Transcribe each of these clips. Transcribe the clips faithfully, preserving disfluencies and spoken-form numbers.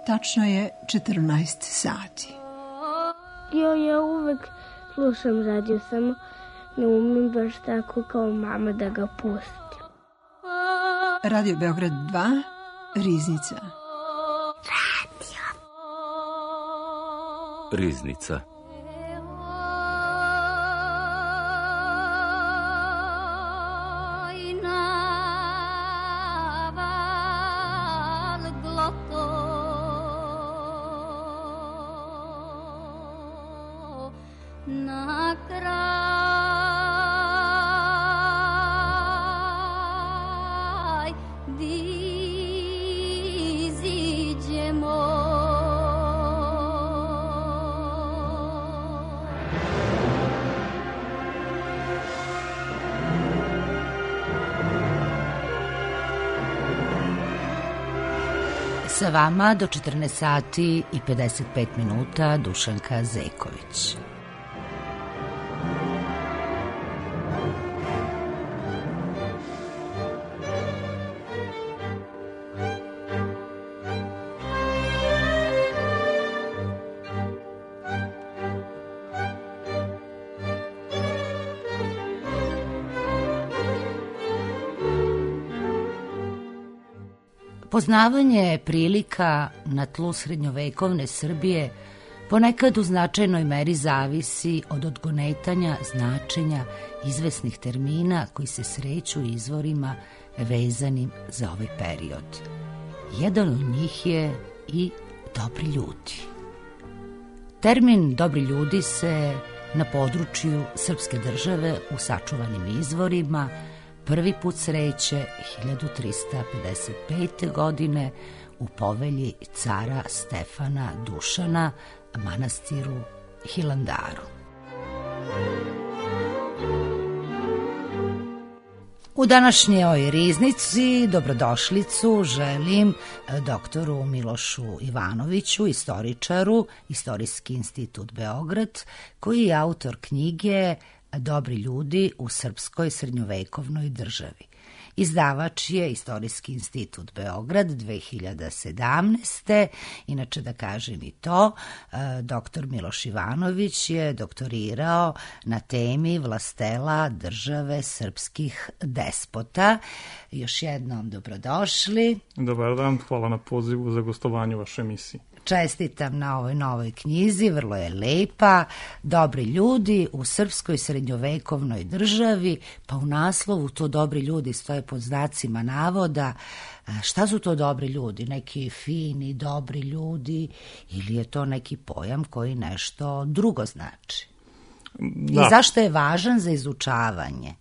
Tačno je četrnaest sati. Jo, ja uvek slušam radio, samo ne umem baš tako kao mama da ga pustim. Radio Beograd dva, Riznica. Radio. Riznica. Sa vama do četrnaest sati i pedeset pet minuta Dušanka Zeković. Poznavanje prilika na tlu srednjovekovne Srbije ponekad u značajnoj meri zavisi od odgonetanja značenja izvesnih termina koji se sreću u izvorima vezanim za ovaj period. Jedan od njih je i dobri ljudi. Termin dobri ljudi se na području srpske države u sačuvanim izvorima prvi put sreće hiljadu trista pedeset pete. godine u povelji cara Stefana Dušana, manastiru Hilandaru. U današnjoj Riznici dobrodošlicu želim doktoru Milošu Ivanoviću, istoričaru, Istorijski institut Beograd, koji je autor knjige Dobri ljudi u srpskoj srednjovekovnoj državi. Izdavač je Istorijski institut Beograd dve hiljade sedamnaeste. Inače da kažem i to, doktor Miloš Ivanović je doktorirao na temi vlastela države srpskih despota. Još jednom dobrodošli. Dobar dan, hvala na pozivu za gostovanje u vašoj emisiji. Čestitam na ovoj novoj knjizi, vrlo je lepa. Dobri ljudi u srpskoj srednjovekovnoj državi, pa u naslovu to dobri ljudi stoje pod znacima navoda. Šta su to dobri ljudi? Neki fini, dobri ljudi ili je to neki pojam koji nešto drugo znači? Da. I zašto je važan za izučavanje?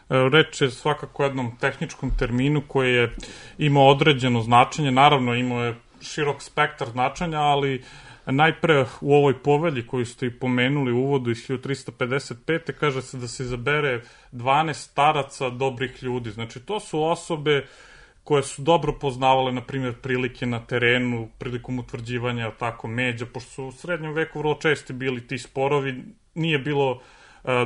Reč je svakako o jednom tehničkom terminu koji je imao određeno značenje, naravno imao je širok spektar značenja, ali najpre u ovoj povelji koju ste i pomenuli u uvodu iz hiljadu trista pedeset pete. kaže se da se izabere dvanaest staraca dobrih ljudi. Znači, to su osobe koje su dobro poznavale, na primjer, prilike na terenu, prilikom utvrđivanja tako međa, pošto su u srednjem veku vrlo česti bili ti sporovi, nije bilo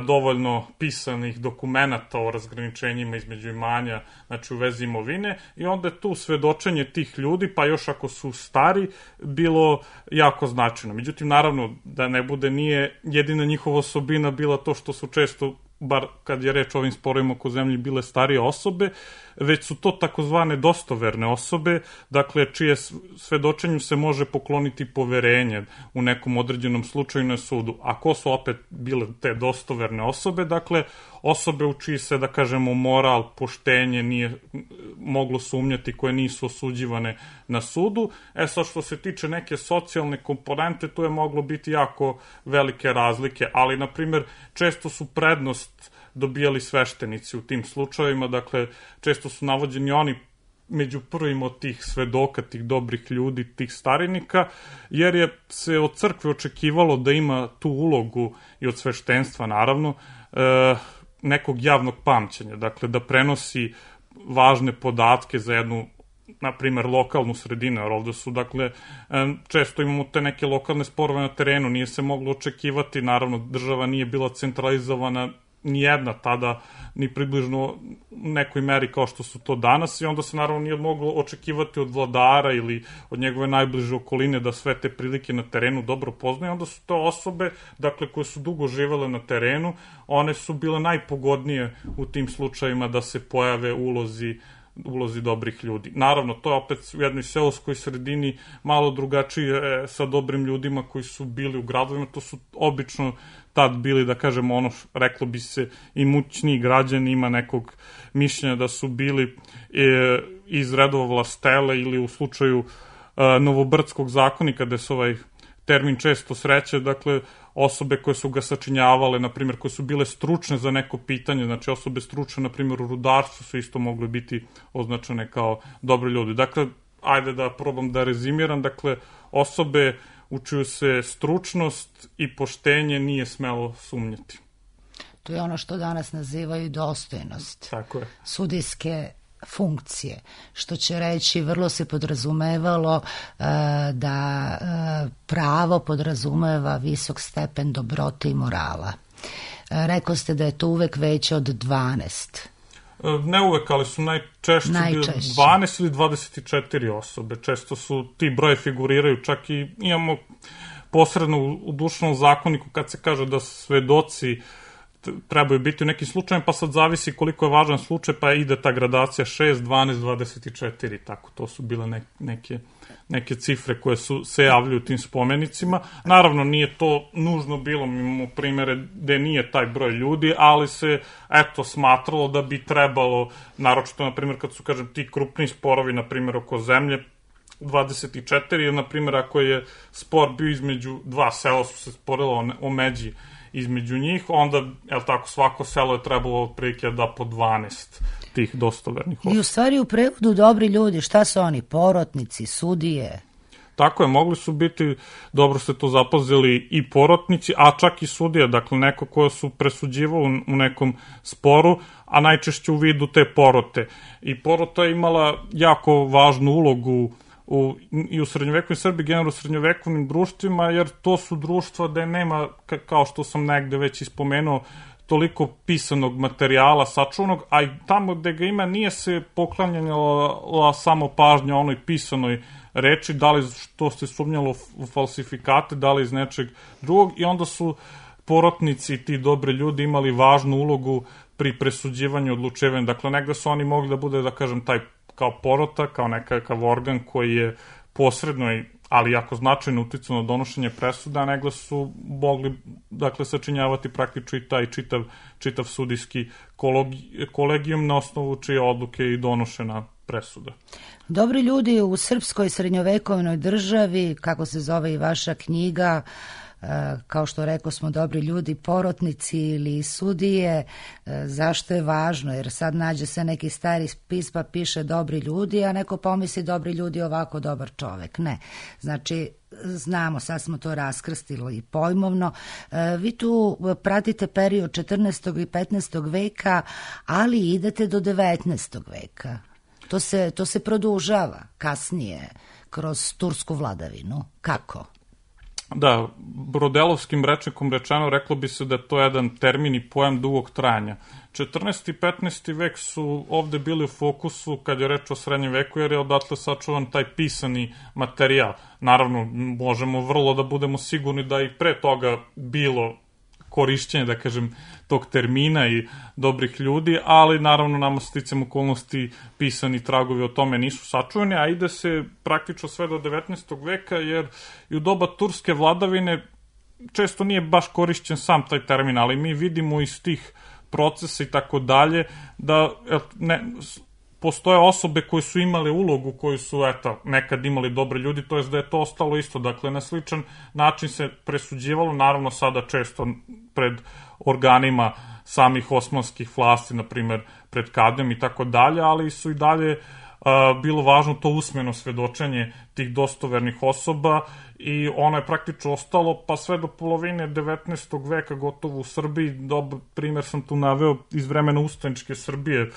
dovoljno pisanih dokumenata o razgraničenjima između imanja, znači u vezi imovine, i onda je tu svedočenje tih ljudi, pa još ako su stari, bilo jako značajno. Međutim, naravno, da ne bude, nije jedina njihova osobina bila to što su često, bar kad je reč o ovim sporovima oko zemlji, bile starije osobe, već su to takozvane dostoverne osobe, dakle, čije svedočenju se može pokloniti poverenje u nekom određenom slučaju na sudu. A ko su opet bile te dostoverne osobe? Dakle, osobe u čiji se, da kažemo, moral, poštenje nije moglo sumnjati, koje nisu osuđivane na sudu. E sad, što se tiče neke socijalne komponente, tu je moglo biti jako velike razlike, ali, na primjer, često su prednost dobijali sveštenici u tim slučajevima, dakle, često su navođeni oni među prvim od tih svedoka, tih dobrih ljudi, tih starinika, jer je se od crkve očekivalo da ima tu ulogu i od sveštenstva, naravno, nekog javnog pamćenja, dakle, da prenosi važne podatke za jednu, na primjer, lokalnu sredinu, jer ovde su, dakle, često imamo te neke lokalne sporove na terenu, nije se moglo očekivati, naravno, država nije bila centralizovana nijedna tada ni približno u nekoj meri kao što su to danas i onda se naravno nije moglo očekivati od vladara ili od njegove najbliže okoline da sve te prilike na terenu dobro poznaju. Onda su to osobe, dakle, koje su dugo živele na terenu, one su bile najpogodnije u tim slučajima da se pojave ulozi ulozi dobrih ljudi. Naravno, to je opet u jednoj seoskoj sredini malo drugačije sa dobrim ljudima koji su bili u gradovima. To su obično tad bili, da kažemo, ono, reklo bi se, imućniji građani, ima nekog mišljenja da su bili e, iz redova vlastele ili u slučaju e, Novobrdskog zakonika, gde se ovaj termin često sreće, dakle, osobe koje su ga sačinjavale, na primjer, koje su bile stručne za neko pitanje, znači osobe stručne, na primjer, u rudarstvu su isto mogle biti označene kao dobri ljudi. Dakle, ajde da probam da rezimiram, dakle, osobe u čiju se stručnost i poštenje nije smelo sumnjati. To je ono što danas nazivaju dostojnost. Tako je. Sudijske funkcije, što će reći vrlo se podrazumevalo e, da e, pravo podrazumeva visok stepen dobrote i morala. E, rekao ste da je to uvek veće od dvanaest. Ne uvek, ali su najčešće, najčešće. dvanaest ili dvadeset četiri osobe. Često su ti broje figuriraju, čak i imamo posredno u, u dušnom zakoniku kad se kaže da svedoci trebaju biti u nekim slučajem, pa sad zavisi koliko je važan slučaj, pa ide ta gradacija šest, dvanaest, dvadeset četiri, tako, to su bile ne, neke, neke cifre koje su se javljaju u tim spomenicima. Naravno, nije to nužno bilo, mi imamo primere gde nije taj broj ljudi, ali se, eto, smatralo da bi trebalo, naročito, na primjer, kad su, kažem, ti krupni sporovi, na primjer, oko zemlje, dvadeset četiri, jer, na primjer, ako je spor bio između dva sela, su se sporilo o, o međi između njih, onda, jel tako, svako selo je trebalo otprilike da po dvanaest tih dostovernih osoba. I u stvari u prevodu dobri ljudi, šta su oni, porotnici, sudije? Tako je, mogli su biti, dobro ste to zapazili, i porotnici, a čak i sudije, dakle neko koje su presuđivao u nekom sporu, a najčešće u vidu te porote. I porota je imala jako važnu ulogu U, i u srednjovekovnoj Srbiji, generalno u srednjovekovnim društvima, jer to su društva gde nema, kao što sam negde već ispomenuo, toliko pisanog materijala sačuvanog, a i tamo gde ga ima nije se poklanjala samo pažnja onoj pisanoj reči, da li što se sumnjalo u falsifikate, da li iz nečeg drugog, i onda su porotnici i ti dobri ljudi imali važnu ulogu pri presuđivanju, odlučivanju. Dakle, negde su oni mogli da bude, da kažem, taj kao porota, kao nekakav organ koji je posredno, ali jako značajno uticao na donošenje presuda, a negde su mogli, dakle, sačinjavati praktično i taj čitav, čitav sudijski kolegijum na osnovu čije odluke i donošena presuda. Dobri ljudi u srpskoj srednjovekovnoj državi, kako se zove i vaša knjiga, kao što rekao smo, dobri ljudi, porotnici ili sudije. Zašto je važno? Jer sad nađe se neki stari spis pa piše dobri ljudi, a neko pomisli dobri ljudi ovako dobar čovek. Ne. Znači, znamo, sad smo to raskrstili i pojmovno. Vi tu pratite period četrnaestog i petnaestog veka, ali idete do devetnaestog veka. To se, to se produžava kasnije kroz tursku vladavinu. Kako? Da, brodelovskim rečnikom rečeno, reklo bi se da je to jedan termin i pojam dugog trajanja. četrnaesti i petnaesti vek su ovde bili u fokusu kad je reč o srednjem veku, jer je odatle sačuvan taj pisani materijal. Naravno, možemo vrlo da budemo sigurni da i pre toga bilo korišćenje, da kažem, tog termina i dobrih ljudi, ali naravno nama sticam okolnosti pisani tragovi o tome nisu sačuvani, a ide se praktično sve do devetnaestog veka, jer i u doba turske vladavine često nije baš korišćen sam taj termin, ali mi vidimo iz tih procesa i tako dalje da ne, postoje osobe koje su imale ulogu, koju su, eto, nekad imali dobri ljudi, to je da je to ostalo isto. Dakle, na sličan način se presuđivalo, naravno sada često pred organima samih osmanskih vlasti, na primer pred kadijom i tako dalje, ali su i dalje a, bilo važno to usmeno svedočenje tih dostovernih osoba i ono je praktično ostalo pa sve do polovine devetnaestog veka gotovo u Srbiji. Dobar primer sam tu naveo iz vremena ustaničke Srbije,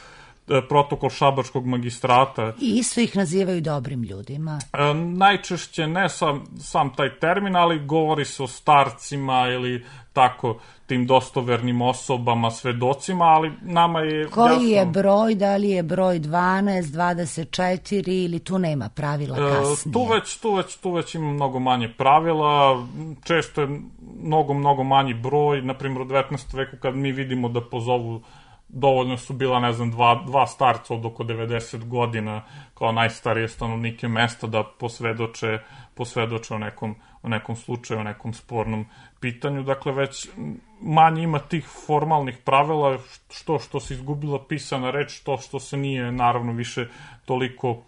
protokol šabačkog magistrata. I isto ih nazivaju dobrim ljudima. E, najčešće ne sam, sam taj termin, ali govori se o starcima ili tako tim dostovernim osobama, svedocima, ali nama je... Koji jasno, je broj, da li je broj dvanaest, dvadeset četiri ili tu nema pravila kasnije? E, tu, već, tu, već, tu već ima mnogo manje pravila, često je mnogo, mnogo manji broj, na primjer u devetnaestom veku kad mi vidimo da pozovu, dovoljno su bila, ne znam, dva, dva starca od oko devedeset godina kao najstarije stanovnike mesta da posvedoče, posvedoče o nekom, o nekom slučaju, o nekom spornom pitanju. Dakle, već manje ima tih formalnih pravila, što što se izgubila pisana reč, to što se nije, naravno, više toliko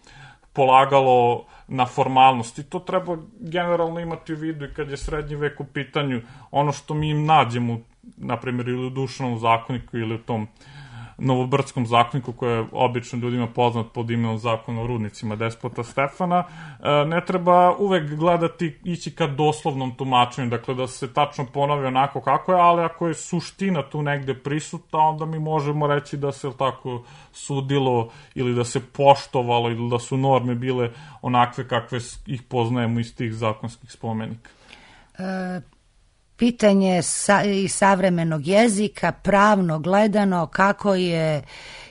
polagalo na formalnost. I to treba generalno imati u vidu i kad je srednji vek u pitanju. Ono što mi im nađemo, na primjer, ili u Dušanom zakoniku ili u tom Novobrdskom zakoniku, koji je obično ljudima poznat pod imenom Zakona o rudnicima Despota Stefana, ne treba uvek gledati, ići ka doslovnom tumačenju, dakle da se tačno ponovi onako kako je, ali ako je suština tu negde prisutna, onda mi možemo reći da se tako sudilo ili da se poštovalo ili da su norme bile onakve kakve ih poznajemo iz tih zakonskih spomenika. E... Pitanje sa, i savremenog jezika, pravno gledano, kako je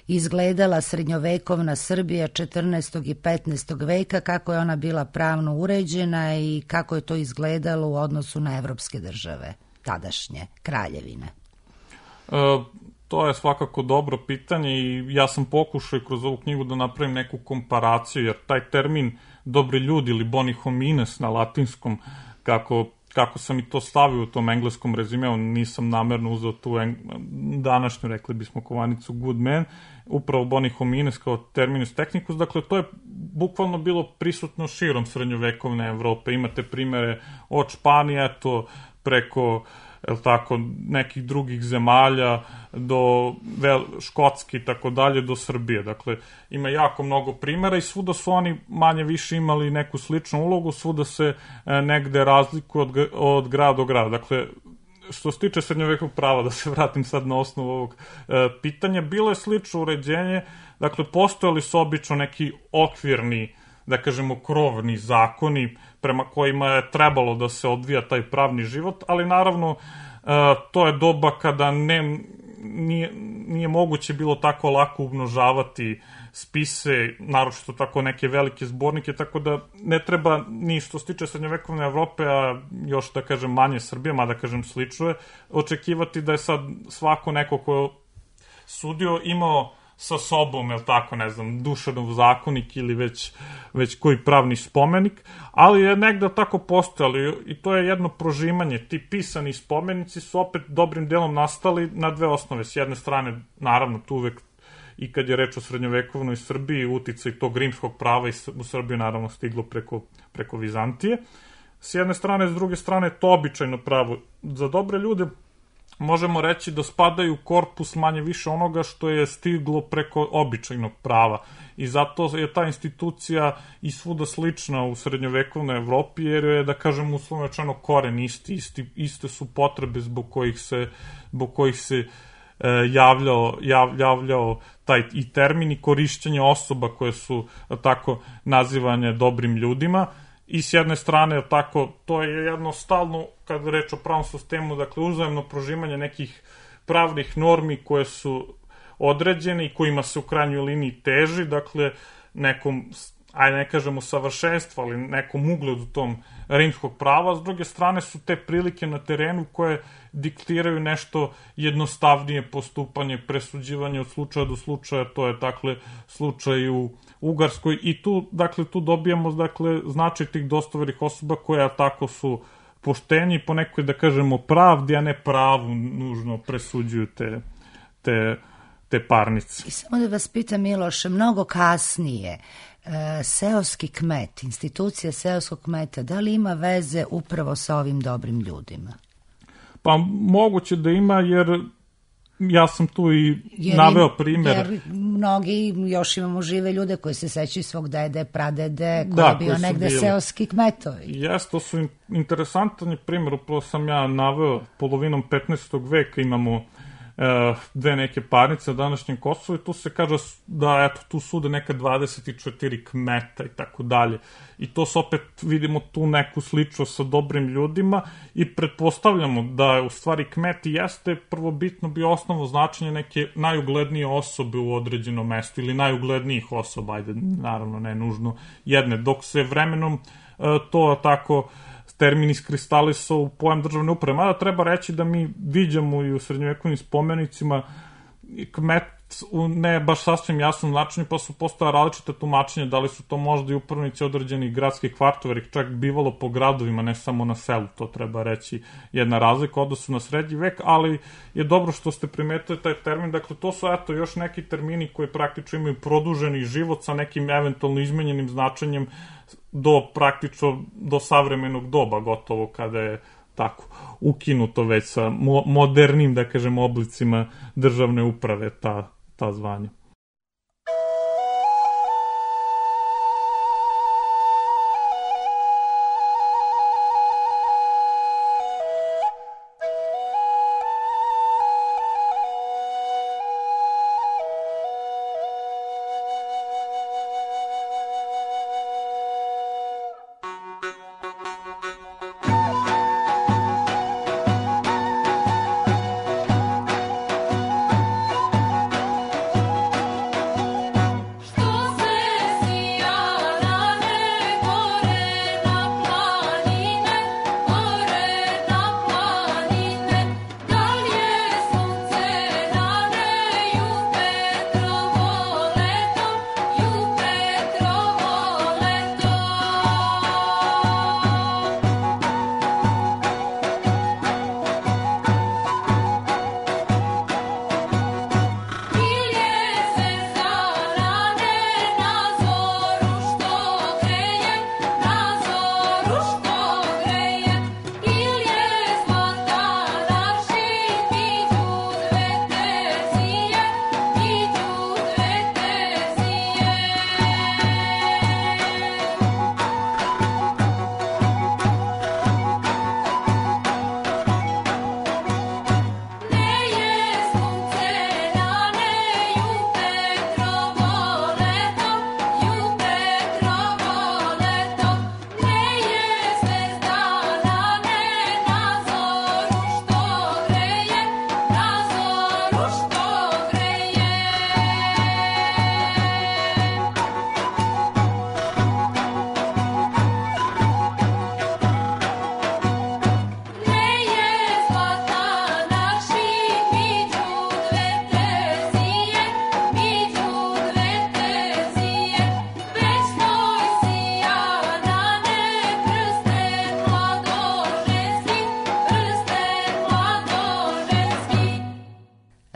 izgledala srednjovekovna Srbija četrnaestog i petnaestog veka, kako je ona bila pravno uređena i kako je to izgledalo u odnosu na evropske države, tadašnje kraljevine? E, to je svakako dobro pitanje i ja sam pokušao kroz ovu knjigu da napravim neku komparaciju, jer taj termin dobri ljudi ili boni homines na latinskom, kako kako sam i to stavio u tom engleskom rezimeu, nisam namerno uzeo tu današnju, rekli bismo, kovanicu good man, upravo boni homines kao terminus technicus, dakle to je bukvalno bilo prisutno širom srednjovekovne Evrope. Imate primere od Španije, to preko el tako, nekih drugih zemalja, do vel, Škotske i tako dalje, do Srbije. Dakle, ima jako mnogo primjera i svuda su oni manje više imali neku sličnu ulogu, svuda se e, negde razlikuju od, od grada do grada. Dakle, što se tiče srednjovekovnog prava, da se vratim sad na osnovu ovog e, pitanja, bilo je slično uređenje, dakle, postojali su obično neki okvirni, da kažemo, krovni zakoni prema kojima je trebalo da se odvija taj pravni život, ali naravno to je doba kada ne, nije, nije moguće bilo tako lako umnožavati spise, naročito tako neke velike zbornike, tako da ne treba ni što se tiče srednjovekovne Evrope, a još da kažem manje Srbije, mada kažem slično je, očekivati da je sad svako neko ko je sudio imao sa sobom, jel tako, ne znam, Dušanov zakonik ili već, već koji pravni spomenik, ali je negde tako postojali i to je jedno prožimanje. Ti pisani spomenici su opet dobrim delom nastali na dve osnove. S jedne strane, naravno, tu uvek i kad je reč o srednjovekovnoj Srbiji, uticaj tog rimskog prava i u Srbiju naravno stiglo preko, preko Vizantije. S jedne strane, s druge strane, to običajno pravo. Za dobre ljude možemo reći da spadaju u korpus manje više onoga što je stiglo preko običajnog prava. I zato je ta institucija i svuda slična u srednjovekovnoj Evropi, jer je, da kažem, uslovno rečeno koren isti, isti, iste su potrebe zbog kojih se, zbog kojih se e, javljao, jav, javljao taj i termin i korišćenje osoba koje su tako nazivane dobrim ljudima. I s jedne strane, tako, to je jedno stalno, kad reč o pravnom sistemu, dakle, uzajemno prožimanje nekih pravnih normi koje su određene i kojima se u krajnjoj liniji teži, dakle, nekom, ajde ne kažemo savršenstvo, ali nekom ugledu tom rimskog prava. S druge strane su te prilike na terenu koje diktiraju nešto jednostavnije postupanje, presuđivanje od slučaja do slučaja, to je, dakle, slučaj u Ugarskoj i tu, dakle, tu dobijamo, dakle, značaj tih dostovernih osoba koja tako su pošteni po nekoj, da kažemo, pravdi, a ne pravu nužno presuđuju te, te, te parnice. I samo da vas pitam, Miloše, mnogo kasnije, e, seoski kmet, institucija seoskog kmeta, da li ima veze upravo sa ovim dobrim ljudima? Pa moguće da ima, jer ja sam tu i jer naveo primjer. Jer mnogi još imamo žive ljude koji se sećaju svog dede, pradede, koji da, je bio negde bili seoski kmetovi. Jes, to su interesantan primjer, upravo sam ja naveo, polovinom petnaestog veka imamo dve neke parnice na današnjem Kosovu i tu se kaže da eto, tu sude neka dvadeset četiri kmeta i tako dalje. I to se opet vidimo tu neku sličnost sa dobrim ljudima i pretpostavljamo da u stvari kmet jeste prvobitno bio osnovno značenje neke najuglednije osobe u određenom mestu ili najuglednijih osoba, ajde, naravno ne nužno jedne, dok se vremenom to tako termin iskristalisao u pojam državne uprave. Mada treba reći da mi viđamo i u srednjovekovnim spomenicima kmet u ne baš sasvim jasnom značenju, pa su postoja različite tumačenja, da li su to možda i upravnici određenih gradskih kvartova, jer ih čak bivalo po gradovima, ne samo na selu, to treba reći jedna razlika odnosu na srednji vek, ali je dobro što ste primetili taj termin, dakle to su eto još neki termini koji praktično imaju produženi život sa nekim eventualno izmenjenim značenjem do praktično do savremenog doba gotovo kada je tako ukinuto već sa mo modernim, da kažem, oblicima državne uprave ta, ta zvanja.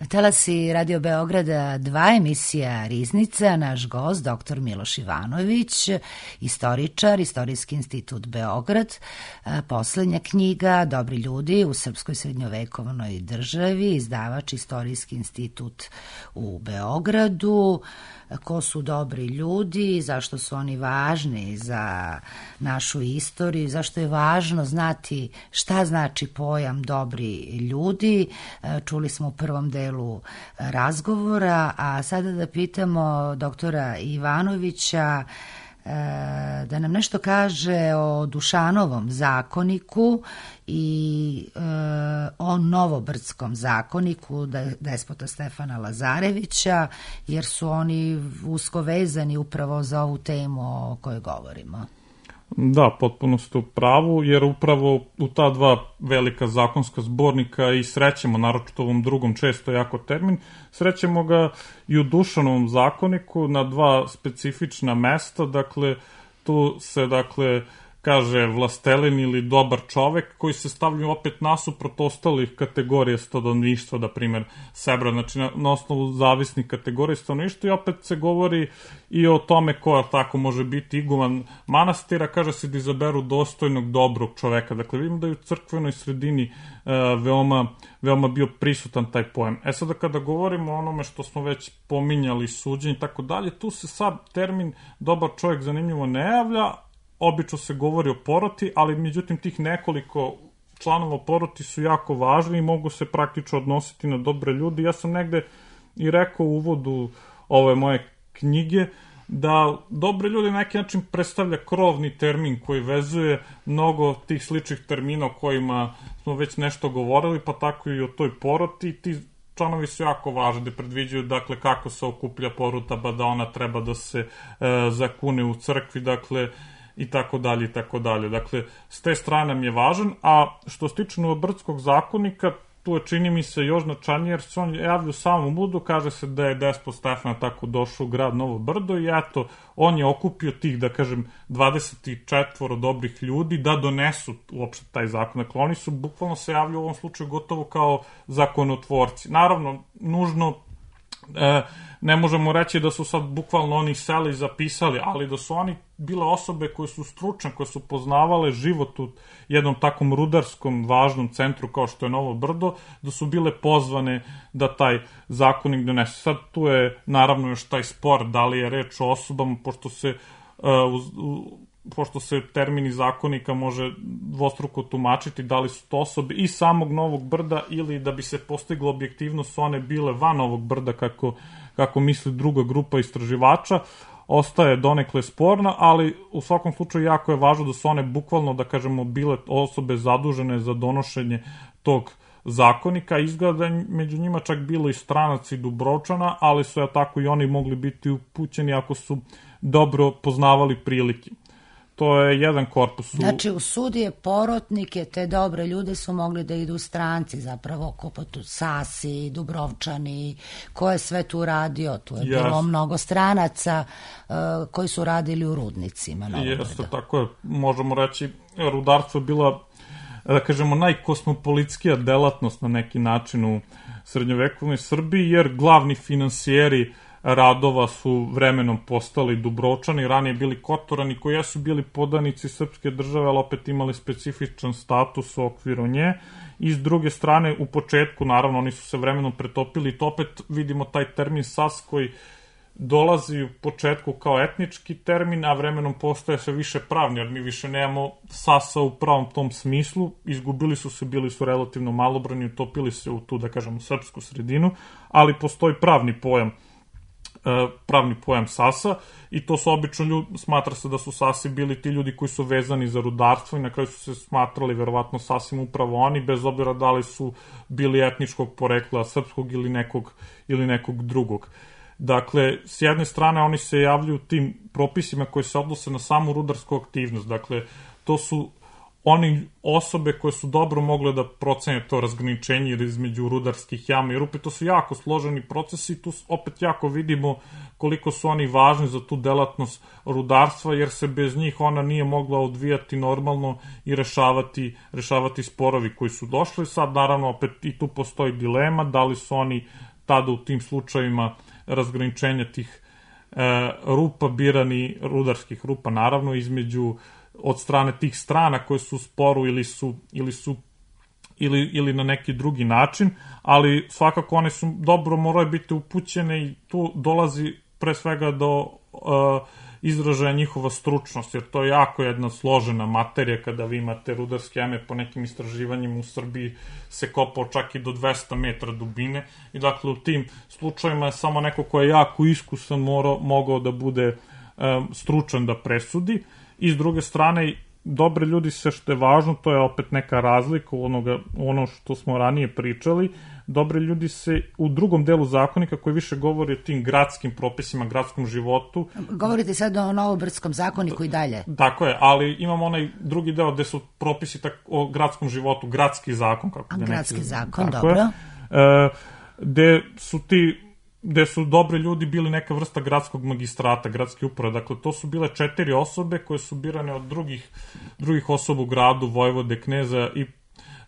Talasi Radio Beograda dva, emisija Riznica, naš gost, doktor Miloš Ivanović, istoričar, Istorijski institut Beograd, poslednja knjiga Dobri ljudi u srpskoj srednjovekovnoj državi, izdavač Istorijski institut u Beogradu. Ko su dobri ljudi, zašto su oni važni za našu istoriju, zašto je važno znati šta znači pojam dobri ljudi. Čuli smo u prvom delu razgovora, a sada da pitamo doktora Ivanovića da nam nešto kaže o Dušanovom zakoniku i e, o Novobrdskom zakoniku despota Stefana Lazarevića, jer su oni usko vezani upravo za ovu temu o kojoj govorimo. Da, potpuno ste u pravu, jer upravo u ta dva velika zakonska zbornika i srećemo, naročito ovom drugom često jako termin, srećemo ga i u Dušanovom zakoniku na dva specifična mesta, dakle, tu se, dakle, kaže vlastelin ili dobar čovek, koji se stavljaju opet nasuprot ostalih kategorija stanovništva, da primjer Sebra, znači na, na osnovu zavisnih kategorija stanovništva, i opet se govori i o tome ko tako može biti iguman manastira, kaže se da izaberu dostojnog, dobrog čoveka. Dakle, vidimo da je u crkvenoj sredini e, veoma, veoma bio prisutan taj pojam. E sada kada govorimo o onome što smo već pominjali, suđenje i tako dalje, tu se sad termin dobar čovjek zanimljivo ne javlja. Obično se govori o poroti, ali međutim tih nekoliko članova poroti su jako važni i mogu se praktično odnositi na dobre ljudi. Ja sam negde i rekao u uvodu ove moje knjige da dobre ljudi na neki način predstavlja krovni termin koji vezuje mnogo tih sličnih termina o kojima smo već nešto govorili, pa tako i o toj poroti. Ti članovi su jako važni, da predviđaju dakle kako se okuplja porota, ba da ona treba da se e, zakune u crkvi, dakle i tako dalje i tako dalje. Dakle, s te strane nam je važan, a što se tiče Novobrdskog zakonika, tu je, čini mi se, još značajnije, jer se on javlja u samom uvodu, kaže se da je despot Stefan tako došao u grad Novo Brdo i eto, on je okupio tih, da kažem, dvadeset četvoro dobrih ljudi da donesu uopšte taj zakon. Dakle, oni su bukvalno se javljaju u ovom slučaju gotovo kao zakonotvorci. Naravno, nužno e, ne možemo reći da su sad bukvalno oni seli i zapisali, ali da su oni bile osobe koje su stručne, koje su poznavale život u jednom takvom rudarskom važnom centru kao što je Novo Brdo, da su bile pozvane da taj zakonik donese. Sad tu je naravno još taj spor da li je reč o osobama, pošto se uh, uz, uh, pošto se termini zakonika može dvostruko tumačiti, da li su to osobe iz samog Novog Brda ili da bi se postiglo objektivnost su one bile van Novog Brda, kako, kako misli druga grupa istraživača, ostaje donekle sporna, ali u svakom slučaju jako je važno da su one bukvalno, da kažemo, bile osobe zadužene za donošenje tog zakonika. Izgleda među njima čak bilo i stranac i Dubrovčana, ali su ja tako i oni mogli biti upućeni ako su dobro poznavali prilike. To je jedan korpus. Znači, u sudije porotnike, te dobre ljude su mogli da idu stranci, zapravo, poput Sasi, Dubrovčani, ko je sve tu radio, tu je yes. bilo mnogo stranaca uh, koji su radili u rudnicima. Jeste, tako je, možemo reći, rudarstvo je bila, da kažemo, najkosmopolitskija delatnost na neki način u srednjovekovnoj Srbiji, jer glavni finansijeri radova su vremenom postali Dubrovčani, ranije bili Kotorani, koji su bili podanici srpske države, ali opet imali specifičan status u okviru nje. I s druge strane, u početku, naravno, oni su se vremenom pretopili i to opet vidimo taj termin Sas koji dolazi u početku kao etnički termin, a vremenom postaje sve više pravni, jer mi više nemamo Sasa u pravom tom smislu, izgubili su se, bili su relativno malobrani, utopili se u tu, da kažemo, srpsku sredinu, ali postoji pravni pojam pravni pojam Sasa i to su obično ljudi, smatra se da su Sasi bili ti ljudi koji su vezani za rudarstvo i na kraju su se smatrali verovatno sasvim upravo oni, bez obzira da li su bili etničkog porekla srpskog ili nekog, ili nekog drugog. Dakle, s jedne strane oni se javljaju tim propisima koji se odnose na samu rudarsku aktivnost, dakle, to su oni osobe koje su dobro mogle da procene to razgraničenje između rudarskih jama i rupe. To su jako složeni procesi i tu opet jako vidimo koliko su oni važni za tu delatnost rudarstva, jer se bez njih ona nije mogla odvijati normalno i rešavati, rešavati sporovi koji su došli. Sad, naravno, opet i tu postoji dilema da li su oni tada u tim slučajima razgraničenja tih e, rupa birani, rudarskih rupa, naravno, između od strane tih strana koje su u sporu ili su, ili su ili, ili na neki drugi način, ali svakako one su dobro moraju biti upućene i tu dolazi pre svega do uh, izražaja njihova stručnost, jer to je jako jedna složena materija kada vi imate rudarske jame, po nekim istraživanjima u Srbiji se kopao čak i do dvesta metra dubine i dakle u tim slučajima je samo neko ko je jako iskusan morao, mogao da bude um, stručan da presudi. I s druge strane, dobre ljudi se, što je važno, to je opet neka razlika u onoga, ono što smo ranije pričali, dobre ljudi se u drugom delu zakonika koji više govori o tim gradskim propisima, gradskom životu. Govorite sad o Novobrdskom zakoniku i dalje. Tako je, ali imamo onaj drugi deo gde su propisi tak, o gradskom životu, gradski zakon. Kako A, da gradski neki, zakon, dobro. Je, e, gde su ti gde su dobri ljudi bili neka vrsta gradskog magistrata, gradske uprave. Dakle, to su bile četiri osobe koje su birane od drugih, drugih osoba u gradu, vojvode, kneza, i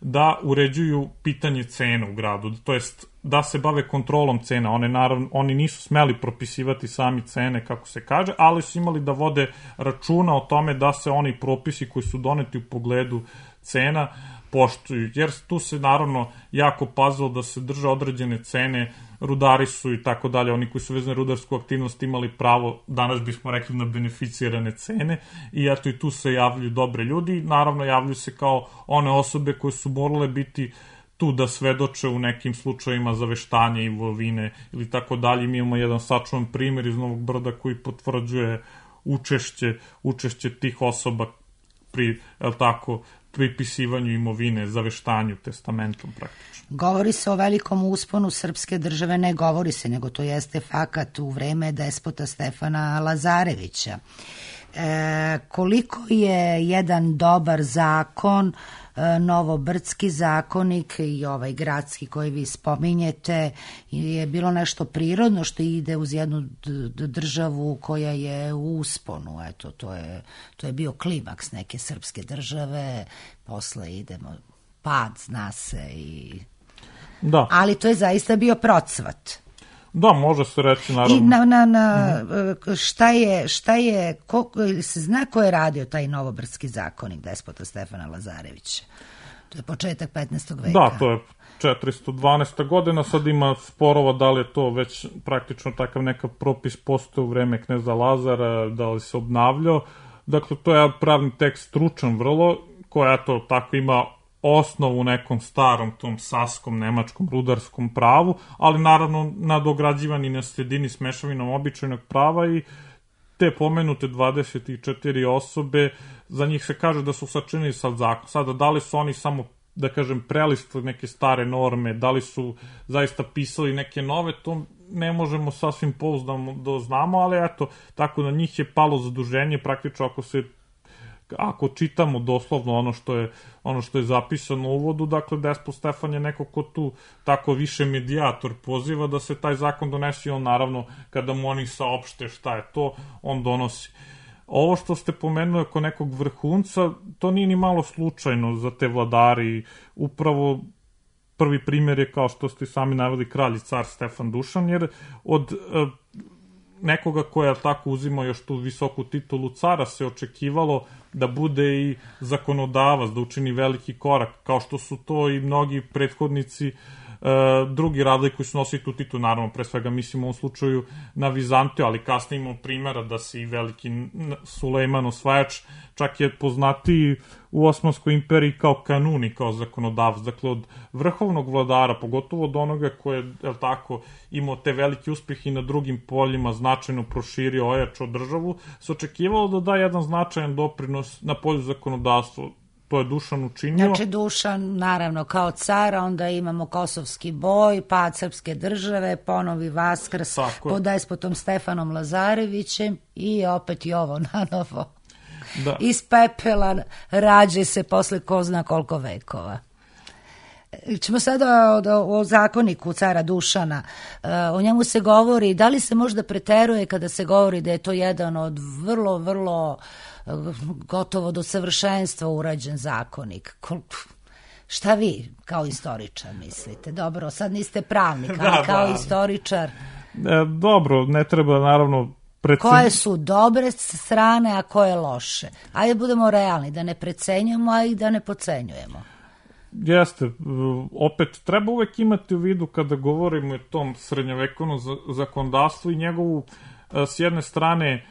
da uređuju pitanje cena u gradu. To jest da se bave kontrolom cena. One, naravno, oni nisu smeli propisivati sami cene, kako se kaže, ali su imali da vode računa o tome da se oni propisi koji su doneti u pogledu cena poštuju. Jer tu se naravno jako pazilo da se drže određene cene rudari su i tako dalje, oni koji su vezani rudarsku aktivnost imali pravo, danas bismo rekli, na beneficirane cene i eto i tu se javljaju dobre ljudi, naravno javljaju se kao one osobe koje su morale biti tu da svedoče u nekim slučajima zaveštanja imovine ili tako dalje. Mi imamo jedan sačuvan primjer iz Novog Brda koji potvrđuje učešće, učešće tih osoba pri, el tako, pripisivanju imovine, zaveštanju, testamentom praktično. Govori se o velikom usponu srpske države, ne govori se, nego to jeste fakat u vreme despota Stefana Lazarevića. E, koliko je jedan dobar zakon, e, Novobrdski zakonik i ovaj gradski koji vi spominjete, je bilo nešto prirodno što ide uz jednu državu koja je u usponu. Eto, to je, to je bio klimaks neke srpske države, posle idemo pad, zna se i... Da. Ali to je zaista bio procvat. Da, može se reći, naravno. I na, na, na, šta je, šta je, ko, se zna ko je radio taj Novobrdski zakonik despota Stefana Lazarevića? To je početak petnaestog veka. Da, to je četiristo dvanaesta godina, sad ima sporova da li je to već praktično takav nekav propis postoje u vreme kneza Lazara, da li se obnavljao. Dakle, to je pravni tekst stručan vrlo, koja eto tako ima osnovu u nekom starom tom saskom, nemačkom, rudarskom pravu, ali naravno nadograđivani na sredini s mešavinom običajnog prava i te pomenute dvadeset četiri osobe, za njih se kaže da su sačinili sad zakon. Sada, da li su oni samo, da kažem, prelistili neke stare norme, da li su zaista pisali neke nove, to ne možemo sasvim pouzdano da znamo, ali eto, tako na njih je palo zaduženje, praktično ako se ako čitamo doslovno ono što je ono što je zapisano u uvodu, dakle despot Stefan je neko ko tu tako više medijator poziva da se taj zakon donese i on naravno kada mu oni saopšte šta je to, on donosi. Ovo što ste pomenuli oko nekog vrhunca, to nije ni malo slučajno za te vladari, upravo prvi primjer je kao što ste sami naveli kralj i car Stefan Dušan, jer od uh, nekoga koja tako uzima još tu visoku titulu cara se očekivalo da bude i zakonodavac, da učini veliki korak, kao što su to i mnogi prethodnici e, drugi radili koji su nosili tu titulu, naravno pre svega mislimo u ovom slučaju na Vizantiju, ali kasnije imamo primjera da se i veliki Sulejman Osvajač čak je poznatiji u Osmanskoj imperiji kao kanuni, kao zakonodavac, dakle od vrhovnog vladara, pogotovo od onoga koje je, je tako, imao te velike uspjehe i na drugim poljima značajno proširio, ojačao državu, se očekivalo da da jedan značajan doprinos na polju zakonodavstva. To je Dušan učinio. Znači Dušan, naravno, kao cara, onda imamo Kosovski boj, pad srpske države, ponovi Vaskrs pod despotom Stefanom Lazarevićem i opet i ovo nanovo. Da. Iz pepela rađe se posle ko zna koliko vekova. Ćemo sada o, o zakoniku cara Dušana. O njemu se govori, da li se možda preteruje kada se govori da je to jedan od vrlo, vrlo gotovo do savršenstva urađen zakonik. Šta vi kao istoričar mislite? Dobro, sad niste pravnik, ali da, kao da. istoričar. E, dobro, ne treba naravno Precen... Koje su dobre strane, a koje loše. Ajde budemo realni, da ne precenjujemo, a i da ne pocenjujemo. Jeste, opet treba uvek imati u vidu kada govorimo o tom srednjovekovnom zakonodavstvu i njegovu s jedne strane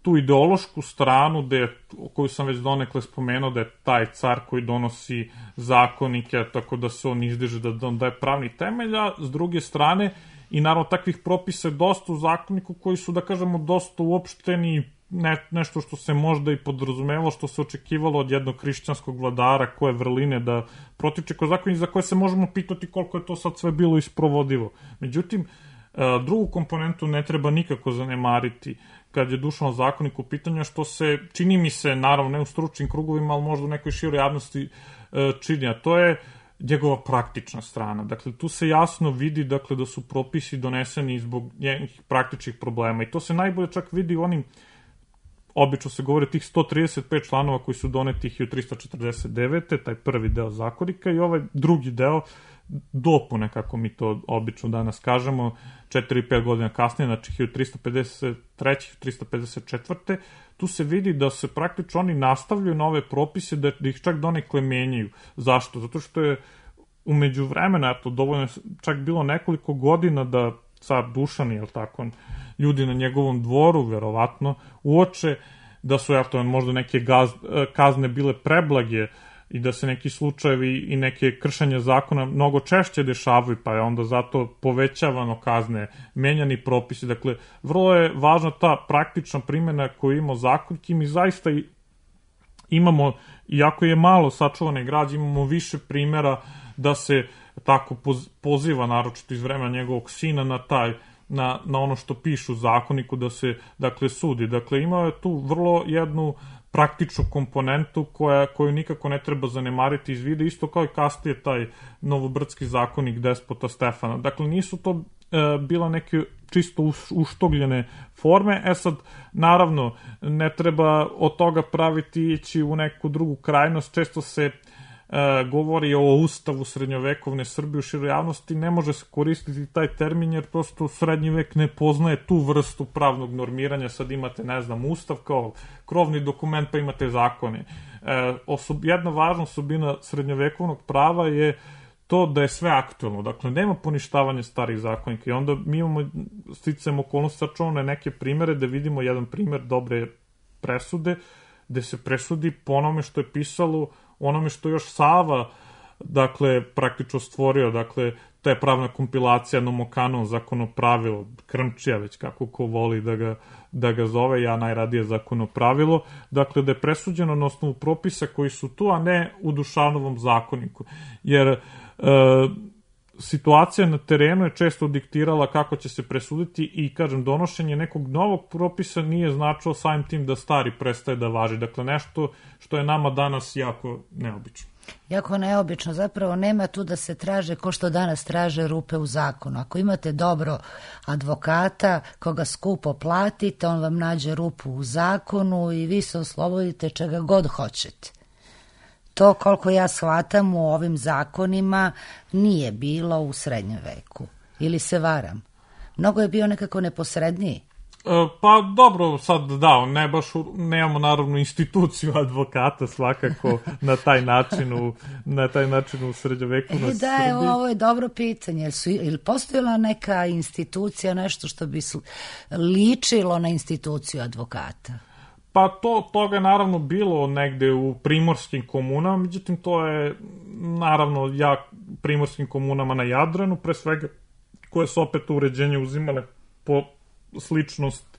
tu ideološku stranu gde, koju sam već donekle spomenuo, da je taj car koji donosi zakonike, tako da se on izdiže da on daje pravni temelj, a s druge strane i naravno takvih propisa je dosta u zakoniku koji su, da kažemo, dosta uopšteni, ne, nešto što se možda i podrazumevalo, što se očekivalo od jednog hrišćanskog vladara, koje vrline da protiče kroz zakonik za koje se možemo pitati koliko je to sad sve bilo isprovodivo. Međutim, drugu komponentu ne treba nikako zanemariti kad je Dušanov zakonik u pitanju, što se, čini mi se, naravno ne u stručnim krugovima, ali možda u nekoj široj javnosti čini, a to je njegova praktična strana. Dakle, tu se jasno vidi dakle, da su propisi doneseni zbog njenih praktičnih problema i to se najbolje čak vidi u onim, obično se govori tih sto trideset pet članova koji su doneti hiljadu trista četrdeset devete. taj prvi deo zakonika i ovaj drugi deo dopune, kako mi to obično danas kažemo, četiri pet godina kasnije, znači hiljadu trista pedeset treće. hiljadu trista pedeset četvrte. Tu se vidi da se praktično oni nastavljaju nove propise, da ih čak donekle menjaju. Zašto? Zato što je umeđu vremena, eto, dovoljno čak bilo nekoliko godina da car Dušan, jel tako, ljudi na njegovom dvoru, verovatno, uoče da su, eto, možda neke gaz, kazne bile preblage i da se neki slučajevi i neke kršenja zakona mnogo češće dešavaju, pa je onda zato povećavano kazne, menjani propisi. Dakle, vrlo je važna ta praktična primjena koju imamo zakonki. Mi zaista imamo, iako je malo sačuvane građe, imamo više primjera da se tako poziva, naročito iz vremena njegovog sina, na taj Na, na ono što pišu u zakoniku da se, dakle, sudi. Dakle, imao je tu vrlo jednu praktičnu komponentu koja, koju nikako ne treba zanemariti iz vida, isto kao i kasnije taj novobrdski zakonik despota Stefana. Dakle, nisu to e, bila neke čisto uštogljene forme. E sad, naravno, ne treba od toga praviti ići u neku drugu krajnost. Često se E, govori o ustavu srednjovekovne Srbije u široj javnosti, ne može se koristiti taj termin jer prosto srednji vek ne poznaje tu vrstu pravnog normiranja. Sad imate, ne znam, ustav kao krovni dokument, pa imate zakone. E, osob, jedna važna osobina srednjovekovnog prava je to da je sve aktuelno, dakle nema poništavanja starih zakonika i onda mi imamo sticajem okolnosti sačuvane neke primere da vidimo jedan primer dobre presude, gde se presudi po onome što je pisalo, onome što još Sava, dakle, praktično stvorio, dakle, to je pravna kompilacija Nomokanon, zakonopravilo, Krmčija, već kako ko voli da ga, da ga zove, ja najradije zakonopravilo, dakle, da je presuđeno na osnovu propisa koji su tu, a ne u Dušanovom zakoniku, jer e, situacija na terenu je često diktirala kako će se presuditi i, kažem, donošenje nekog novog propisa nije značilo samim tim da stari prestaje da važi. Dakle, nešto što je nama danas jako neobično. Jako neobično, zapravo nema tu da se traže ko što danas traže rupe u zakonu. Ako imate dobro advokata koga skupo platite, on vam nađe rupu u zakonu i vi se oslobodite čega god hoćete. To, koliko ja shvatam, u ovim zakonima nije bilo u srednjem veku. Ili se varam? Mnogo je bio nekako neposredniji. E, pa dobro, sad da, ne baš, nemamo naravno instituciju advokata svakako na taj način u, na taj način u srednjoveku na e, da, Srbiji. Da, ovo je dobro pitanje. Ili, su, ili postojala neka institucija, nešto što bi ličilo na instituciju advokata? Pa to, toga je naravno bilo negde u primorskim komunama, međutim to je naravno jak primorskim komunama na Jadranu, pre svega koje su opet uređenje uzimale po sličnost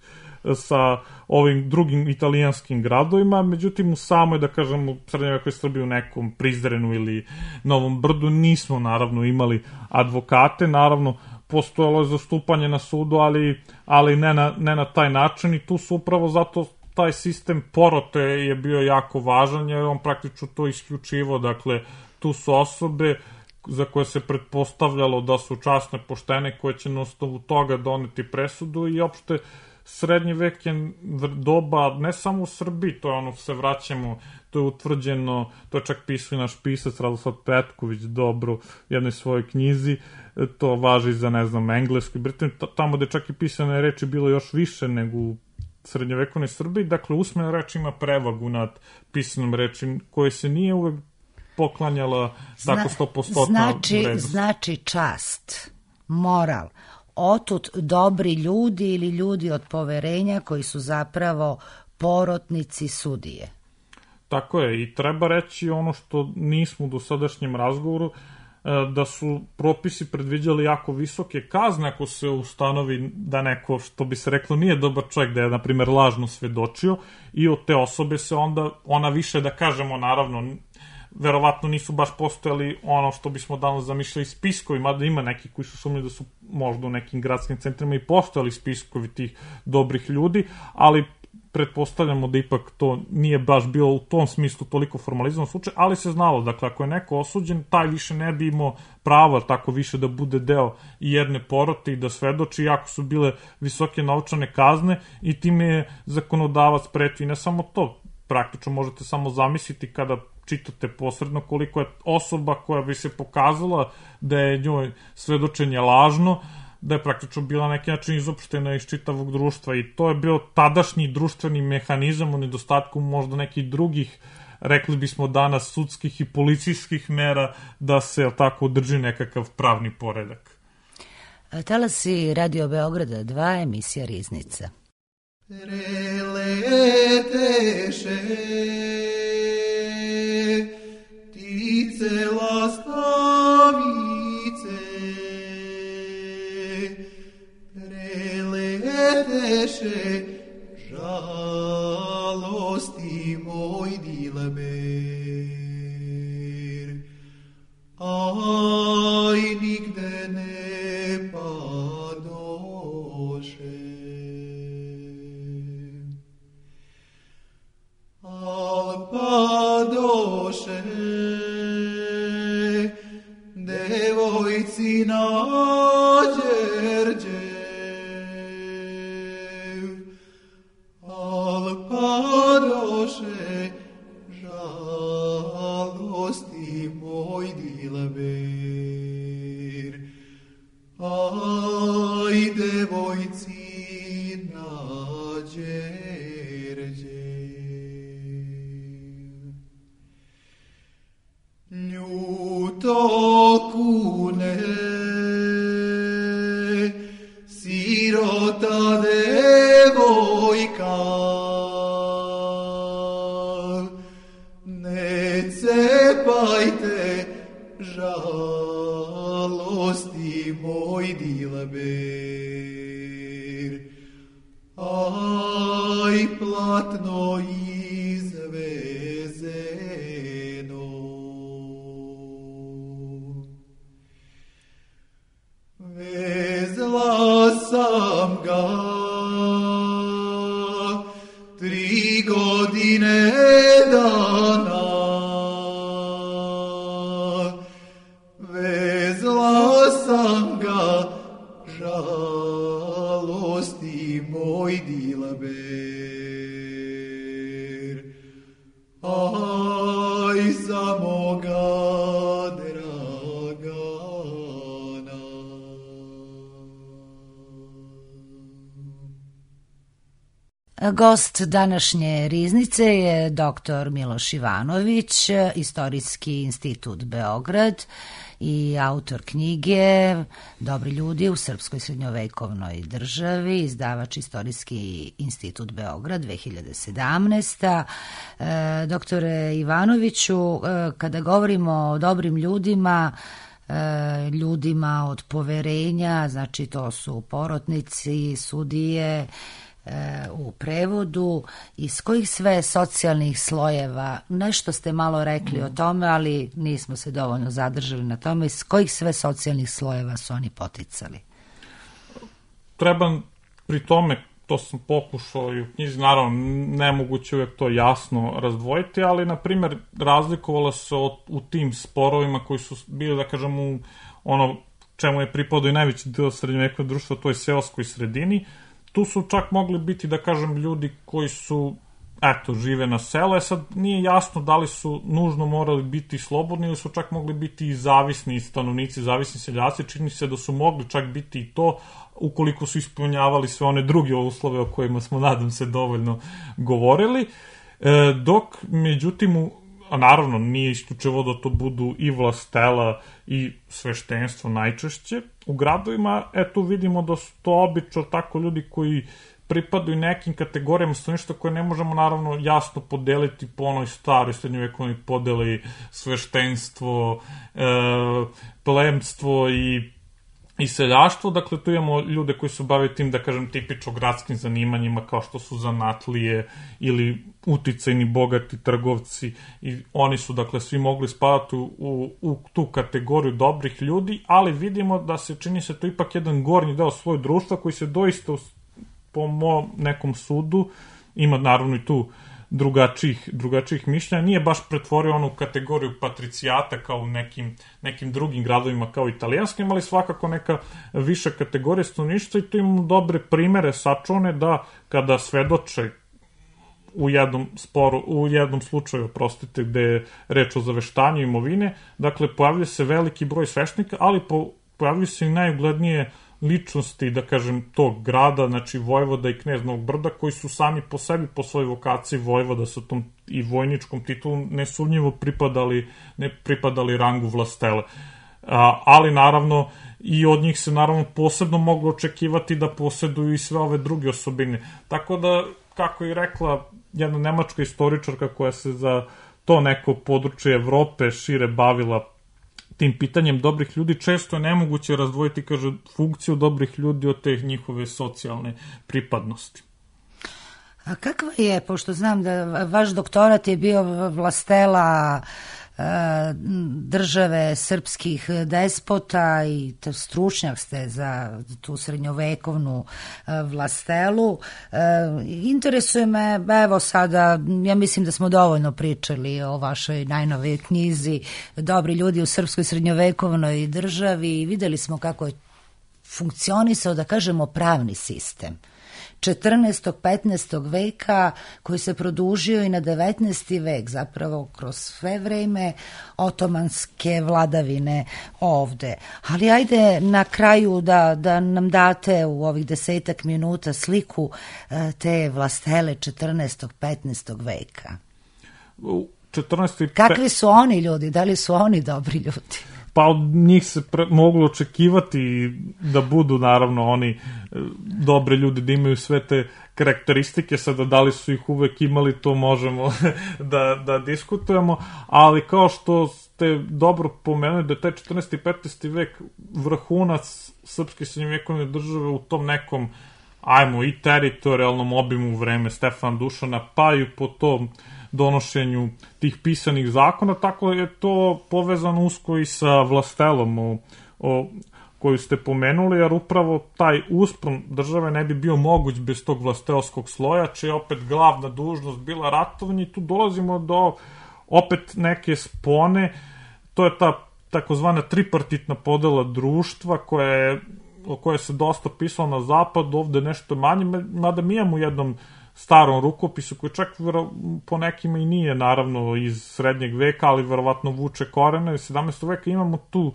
sa ovim drugim italijanskim gradovima, međutim u samoj, da kažem, u srednjovekoj Srbiji u nekom Prizrenu ili Novom Brdu nismo naravno imali advokate, naravno postojalo je zastupanje na sudu, ali, ali ne, na, ne na taj način i tu su upravo zato taj sistem porote je bio jako važan jer on praktično to isključivo, dakle tu su osobe za koje se pretpostavljalo da su časne, poštene, koje će na osnovu toga doneti presudu i opšte srednji vek je doba ne samo u Srbiji, to je ono se vraćamo, to je utvrđeno, to je čak pisao i naš pisac Radoslav Petković dobro u jednoj svojoj knjizi, to važi za, ne znam, Englesku i Britaniju, tamo gde čak i pisane reči bilo još više nego u srednjovekovnoj Srbiji, dakle usmena reč ima prevagu nad pisanom reči koje se nije uvek poklanjala Zna, tako sto posto znači, vrednost. Znači čast, moral, otud dobri ljudi ili ljudi od poverenja koji su zapravo porotnici sudije. Tako je i treba reći ono što nismo u dosadašnjem razgovoru, da su propisi predviđali jako visoke kazne ako se ustanovi da neko, što bi se reklo, nije dobar čovjek, da je, na primjer, lažno svedočio i od te osobe se onda, ona više, da kažemo, naravno, verovatno nisu baš postojali ono što bismo danas zamišljali spiskovi, mada ima neki koji su sumnjali da su možda u nekim gradskim centrima i postojali spiskovi tih dobrih ljudi, ali pretpostavljamo da ipak to nije baš bilo u tom smislu toliko formalizovan slučaj, ali se znalo, dakle, ako je neko osuđen, taj više ne bi imao pravo tako više da bude deo jedne porote i da svedoči, jako su bile visoke novčane kazne i time je zakonodavac pretio. I ne samo to, praktično možete samo zamisliti kada čitate posredno koliko je osoba koja bi se pokazala da je njoj svedočenje lažno, da je praktično bila neki način izopštena iz čitavog društva i to je bio tadašnji društveni mehanizam u nedostatku možda nekih drugih rekli bismo danas, sudskih i policijskih mera da se tako održi nekakav pravni poredak. Talasi Radio Beograda dva, emisija Riznica. Preleteše ptice lastavice, preleteše žalosti moj dilber, aj nigde ne padoše. Al padoše devojci na Đerđev, al padoše žalosti moj dilber, aj devojci na Đerđev. Ljuto kune sirota devojka, ne cepajte žalosti moj dilber, aj platno izvezeno. Vezla sam ga tri godine dana, vezla sam ga žalosti moj dilber, aj za moga Gost današnje Riznice je doktor Miloš Ivanović, Istorijski institut Beograd i autor knjige Dobri ljudi u srpskoj srednjovekovnoj državi, izdavač Istorijski institut Beograd dve hiljade sedamnaeste. E, doktore Ivanoviću, e, kada govorimo o dobrim ljudima, e, ljudima od poverenja, znači to su porotnici, sudije, u prevodu, iz kojih sve socijalnih slojeva, nešto ste malo rekli o tome, ali nismo se dovoljno zadržali na tome, iz kojih sve socijalnih slojeva su oni poticali? Treba pri tome, to sam pokušao i u knjizi, naravno nemoguće uvijek to jasno razdvojiti, ali na primjer razlikovala se od, u tim sporovima koji su bili, da kažem, u ono čemu je pripadao i najveći deo srednjovekovnog društva, to je seoskoj sredini. Tu su čak mogli biti, da kažem, ljudi koji su, eto, žive na selu. E sad, nije jasno da li su nužno morali biti slobodni ili su čak mogli biti i zavisni stanovnici, zavisni seljaci. Čini se da su mogli čak biti i to, ukoliko su ispunjavali sve one druge uslove o kojima smo, nadam se, dovoljno govorili. E, dok, međutim, a naravno nije isključivo da to budu i vlastela i sveštenstvo najčešće. U gradovima, eto, vidimo da su to obično tako ljudi koji pripadaju nekim kategorijama stanovništva koje ne možemo naravno jasno podeliti po onoj staroj srednjovekovnoj podeli sveštenstvo, e, plemstvo i i seljaštvo. Dakle, tu imamo ljude koji se bave tim, da kažem, tipično gradskim zanimanjima kao što su zanatlije ili uticajni bogati trgovci, i oni su, dakle, svi mogli spadati u, u, u tu kategoriju dobrih ljudi, ali vidimo da se čini se to ipak jedan gornji deo svoj društva koji se doista, po mom nekom sudu, ima naravno i tu drugačijih, drugačijih mišljenja, nije baš pretvorio onu kategoriju patricijata kao u nekim, nekim drugim gradovima kao italijanskim, ali svakako neka viša kategorija stanovništva, i tu imamo dobre primere sačuvane da kada svedoče u jednom sporu, u jednom slučaju, prostite, gde je reč o zaveštanju imovine, dakle, pojavljuje se veliki broj sveštenika, ali po, pojavljuje se i najuglednije ličnosti, da kažem, tog grada, znači vojvoda i knez Novog Brda, koji su sami po sebi, po svojoj vokaciji vojvoda sa tom i vojničkom titulom, nesumnjivo pripadali, ne pripadali rangu vlastele. A, ali naravno i od njih se naravno posebno moglo očekivati da posjeduju i sve ove druge osobine. Tako da, kako je rekla jedna nemačka istoričarka koja se za to neko područje Evrope šire bavila tim pitanjem dobrih ljudi, često je nemoguće razdvojiti, kaže, funkciju dobrih ljudi od te njihove socijalne pripadnosti. A kakva je, pošto znam da vaš doktorat je bio vlastela države srpskih despota i stručnjak ste za tu srednjovekovnu vlastelu. Interesuje me, evo sada, ja mislim da smo dovoljno pričali o vašoj najnovijoj knjizi Dobri ljudi u srpskoj srednjovekovnoj državi i videli smo kako je funkcionisao, da kažemo, pravni sistem četrnaestog petnaestog veka koji se produžio i na devetnaesti vek, zapravo kroz sve vreme otomanske vladavine ovde. Ali ajde na kraju da, da nam date u ovih desetak minuta sliku te vlastele četrnaestog petnaestog veka. četrnaesti Kakvi su oni ljudi? Da li su oni dobri ljudi? Pa od njih se pre, moglo očekivati da budu naravno oni e, dobre ljudi, da imaju sve te karakteristike, sada da li su ih uvek imali, to možemo da, da diskutujemo, ali kao što ste dobro pomenuli da je taj četrnaesti i petnaesti vek vrhunac srpske srednjovekovne države u tom nekom, ajmo, i teritorijalnom obimu vreme Stefana Dušana, pa i po tom donošenju tih pisanih zakona, tako je to povezano usko i sa vlastelom o, o, koju ste pomenuli, jer upravo taj uspon države ne bi bio moguć bez tog vlastelskog sloja, čija je opet glavna dužnost bila ratovanje, i tu dolazimo do opet neke spone, to je ta takozvana tripartitna podela društva koja je, o kojoj se dosta pisalo na zapadu, ovde nešto manje, mada mi imamo u jednom starom rukopisu, koji čak po nekima i nije naravno iz srednjeg veka, ali verovatno vuče korene iz sedamnaestog veka, imamo tu,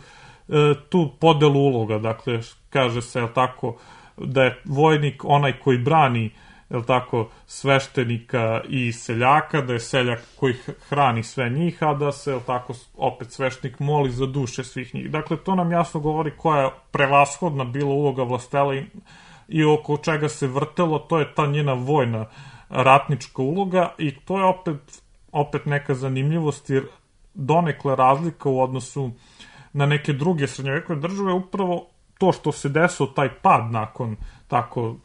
tu podelu uloga, dakle, kaže se, jel tako, da je vojnik onaj koji brani, jel tako, sveštenika i seljaka, da je seljak koji hrani sve njih, a da se, jel tako, opet sveštenik moli za duše svih njih. Dakle, to nam jasno govori koja je prevashodna bila uloga vlastele i oko čega se vrtelo, to je ta njena vojna ratnička uloga, i to je opet, opet neka zanimljivost, jer donekle razlika u odnosu na neke druge srednjovekovne države, upravo to što se desio taj pad nakon tako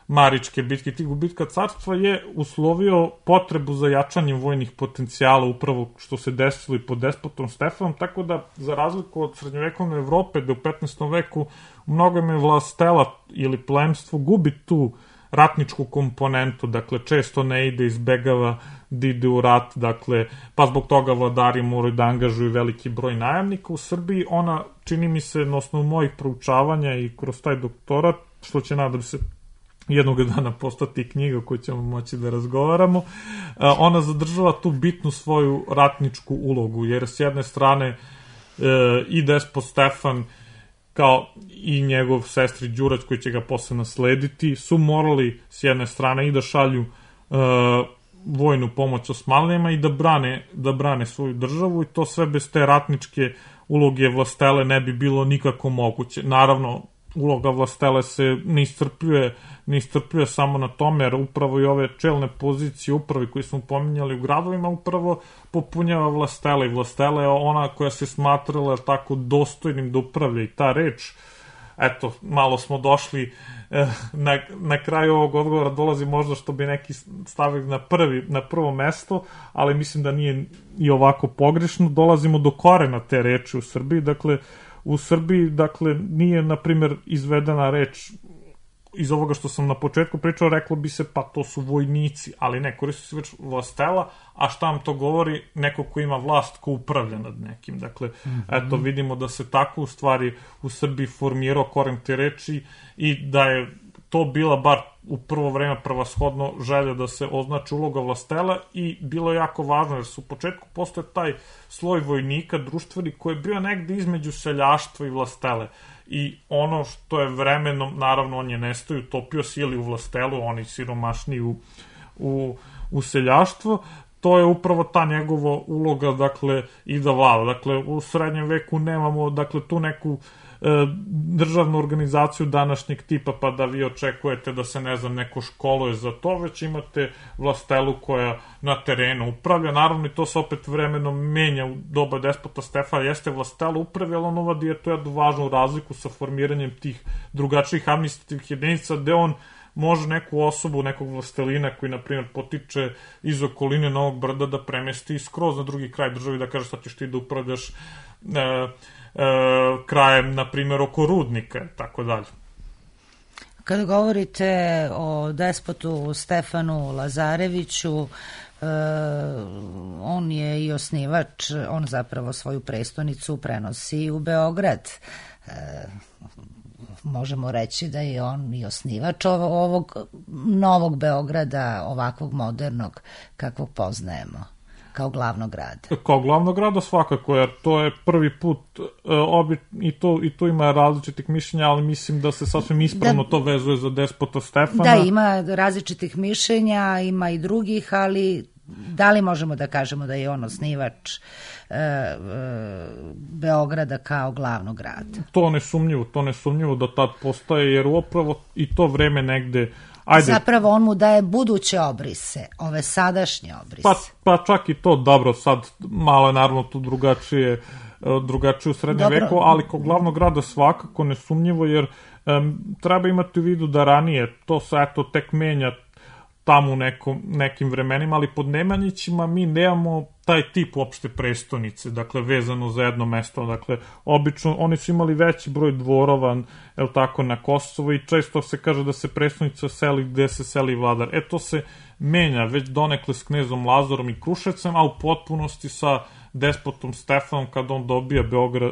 Maričke bitke, tih gubitka carstva, je uslovio potrebu za jačanjem vojnih potencijala, upravo što se desilo i pod despotom Stefanom, tako da, za razliku od srednjovekovne Evrope, da u petnaestom veku u mnogome vlastela ili plemstvo gubi tu ratničku komponentu, dakle, često ne ide, izbegava da ide u rat, dakle, pa zbog toga vladari moraju da angažuju veliki broj najamnika. U Srbiji ona, čini mi se, na osnovu mojih proučavanja i kroz taj doktorat, što će, nadam se, jednog dana postati knjiga koju ćemo moći da razgovaramo, ona zadržava tu bitnu svoju ratničku ulogu, jer s jedne strane i despot Stefan kao i njegov sestri Đurađ, koji će ga posle naslediti, su morali s jedne strane i da šalju vojnu pomoć Osmanlijama i da brane, da brane svoju državu, i to sve bez te ratničke uloge vlastele ne bi bilo nikako moguće. Naravno, uloga vlastele se ne iscrpljuje, ne iscrpljuje samo na tome, jer upravo i ove čelne pozicije upravi koje smo pominjali u gradovima upravo popunjava vlastela, i vlastela je ona koja se smatrala tako dostojnim da upravlja, i ta reč, eto, malo smo došli eh, na, na kraju ovog odgovora, dolazi možda što bi neki stavili na, prvi, na prvo mesto, ali mislim da nije i ovako pogrešno. Dolazimo do korena te reči u Srbiji, dakle, u Srbiji, dakle, nije, na primjer, izvedena reč iz ovoga što sam na početku pričao, reklo bi se, pa to su vojnici, ali ne, koristi se već vlastela, a šta vam to govori? Neko ko ima vlast, ko upravlja nad nekim. Dakle, mm-hmm. eto, vidimo da se tako u stvari u Srbiji formirao koren te reči, i da je to bila bar u prvo vreme prvashodno želja da se označi uloga vlastela i bilo je jako važno jer su u početku postoje taj sloj vojnika društveni koji je bio negde između seljaštva i vlastele i ono što je vremenom, naravno on je nestao i utopio se ili u vlastelu, oni siromašni u, u, u seljaštvo, to je upravo ta njegova uloga, dakle, i da vlada. Dakle, u srednjem veku nemamo, dakle, tu neku e, državnu organizaciju današnjeg tipa, pa da vi očekujete da se, ne znam, neko školuje za to, već imate vlastelu koja na terenu upravlja. Naravno, i to se opet vremenom menja u doba despota Stefana, jeste vlastela upravlja, ali on uvadi je to jednu važnu razliku sa formiranjem tih drugačijih administrativnih jedinica, gde on može neku osobu, nekog vlastelina koji, na primjer, potiče iz okoline Novog Brda da premesti skroz na drugi kraj državi, da kaže sad ćeš ti da upravljaš e, e, krajem, na primjer, oko Rudnika, tako dalje. Kada govorite o despotu Stefanu Lazareviću, e, on je i osnivač, on zapravo svoju prestonicu prenosi u Beograd. E, možemo reći da je on i osnivač ovog novog Beograda, ovakvog modernog kakvog poznajemo, kao glavnog grada. Kao glavnog grada svakako, jer to je prvi put obi, i, to, i to ima različitih mišljenja, ali mislim da se sasvim ispravno da, to vezuje za despota Stefana. Da, ima različitih mišljenja, ima i drugih, ali da li možemo da kažemo da je on osnivač e, e, Beograda kao glavnog grada? To nesumnjivo, to nesumnjivo da tad postaje, jer upravo i to vreme negde... Ajde. Zapravo on mu daje buduće obrise, ove sadašnje obrise. Pa, pa čak i to, dobro, sad malo je naravno tu drugačije, drugačije u srednjem dobro. veku, ali kao glavnog grada svakako nesumnjivo, jer um, treba imati u vidu da ranije to se eto tek menja tamo u nekom, nekim vremenima, ali pod Nemanjićima mi nemamo taj tip uopšte prestonice, dakle, vezano za jedno mesto, dakle, obično, oni su imali veći broj dvorova, evo tako, na Kosovo i često se kaže da se prestonica seli gde se seli vladar. E, to se menja već donekle s knezom Lazarom i Kruševcem, a u potpunosti sa despotom Stefanom kada on dobija Beograd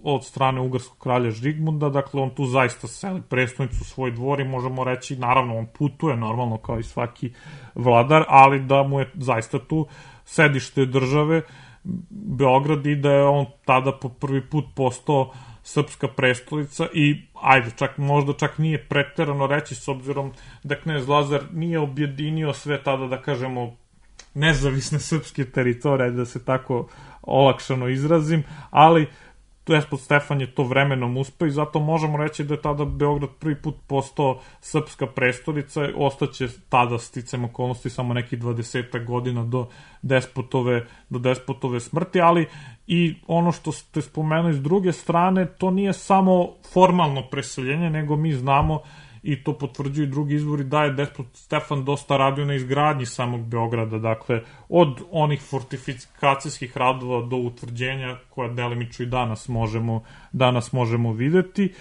od strane ugarskog kralja Žigmunda, dakle on tu zaista seli prestonicu svoj dvor i možemo reći, naravno on putuje normalno kao i svaki vladar, ali da mu je zaista tu sedište države Beograd i da je on tada po prvi put postao srpska prestolica i ajde, čak, možda čak nije preterano reći s obzirom da knez Lazar nije objedinio sve tada, da kažemo, nezavisne srpske teritorije, da se tako olakšano izrazim, ali despot Stefan je to vremenom uspeo i zato možemo reći da je tada Beograd prvi put postao srpska prestolica, ostaće tada sticam okolnosti samo nekih dvadesetak godina do despotove, do despotove smrti, ali i ono što ste spomenuli s druge strane, to nije samo formalno preseljenje, nego mi znamo i to potvrđuju drugi izvori, da je despot Stefan dosta radio na izgradnji samog Beograda, dakle, od onih fortifikacijskih radova do utvrđenja, koja delimično i danas možemo, danas možemo videti,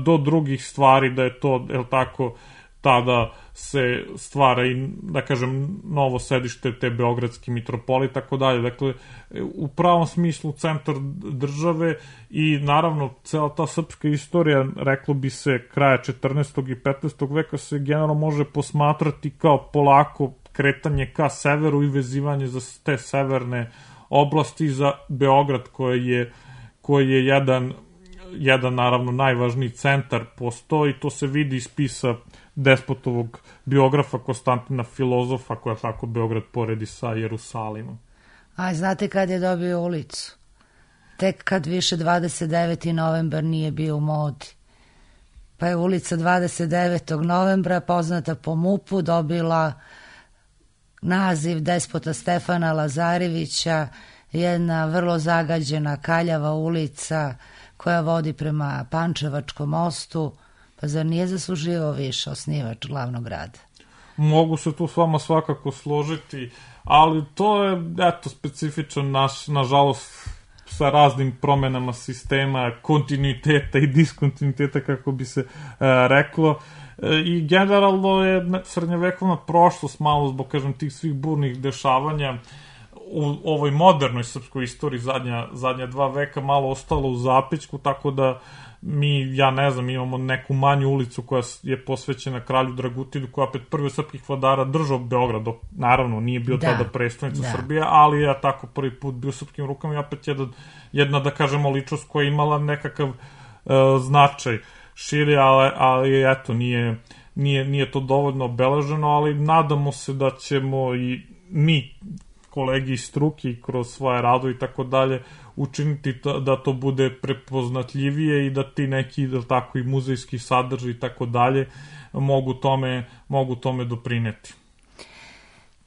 do drugih stvari, da je to, je li tako, tada se stvara i, da kažem, novo sedište te beogradske mitropolije i tako dalje. Dakle, u pravom smislu centar države i naravno cela ta srpska istorija, reklo bi se, kraja četrnaestog i petnaestog veka se generalno može posmatrati kao polako kretanje ka severu i vezivanje za te severne oblasti za Beograd koji je, koji je jedan, jedan naravno najvažniji centar postoji, to se vidi iz spisa despotovog biografa Konstantina Filozofa, koja tako Beograd poredi sa Jerusalimom. A znate kad je dobio ulicu? Tek kad više dvadeset deveti novembar nije bio u modi. Pa je ulica dvadeset devetog novembra, poznata po mupu, dobila naziv despota Stefana Lazarevića, jedna vrlo zagađena kaljava ulica koja vodi prema Pančevačkom mostu. Pa zar nije zasluživao više osnivač glavnog grada? Mogu se tu s vama svakako složiti, ali to je, eto, specifičan naš, nažalost, sa raznim promenama sistema, kontinuiteta i diskontinuiteta, kako bi se e, reklo. E, I generalno je srednjevekovna prošlost malo zbog, kažem, tih svih burnih dešavanja u ovoj modernoj srpskoj istoriji zadnja, zadnja dva veka malo ostalo u zapećku, tako da mi, ja ne znam, imamo neku manju ulicu koja je posvećena kralju Dragutinu, koja opet prvi od srpskih vladara držao Beograd, dok naravno nije bio da, tada prestonica da. Srbije, ali je tako prvi put bio u srpskim rukama i opet jedna, jedna da kažemo, ličnost koja je imala nekakav uh, značaj širi, ali, ali eto, nije, nije, nije to dovoljno obeleženo, ali nadamo se da ćemo i mi, kolegi iz struke, kroz svoje rado i tako dalje, učiniti to, da to bude prepoznatljivije i da ti neki, da tako, i muzejski sadržaj i tako dalje mogu tome, mogu tome doprineti.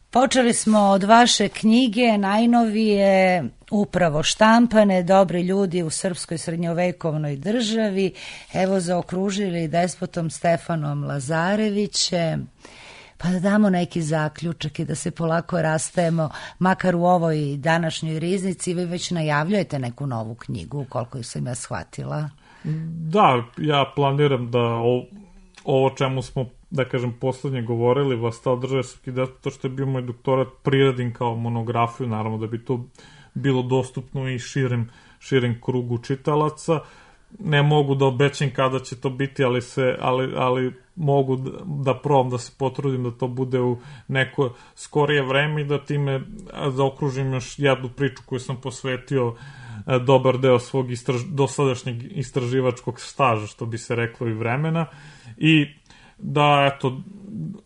Počeli smo od vaše knjige, najnovije, upravo štampane, Dobri ljudi u srpskoj srednjovekovnoj državi, evo zaokružili despotom Stefanom Lazarevićem. Pa da damo neki zaključak i da se polako rastajemo, makar u ovoj današnjoj riznici. Vi već najavljujete neku novu knjigu, koliko sam ja shvatila. Da, ja planiram da o, ovo čemu smo, da kažem, poslednje govorili, Vlastela države srpskih despota, što je bio moj doktorat, priradim kao monografiju, naravno da bi to bilo dostupno i širem, širem krugu čitalaca. Ne mogu da obećam kada će to biti, ali, se, ali, ali mogu da, da probam, da se potrudim da to bude u neko skorije vreme i da time zaokružim još jednu priču koju sam posvetio dobar deo svog istraž, dosadašnjeg istraživačkog staža, što bi se reklo, i vremena. I da, eto,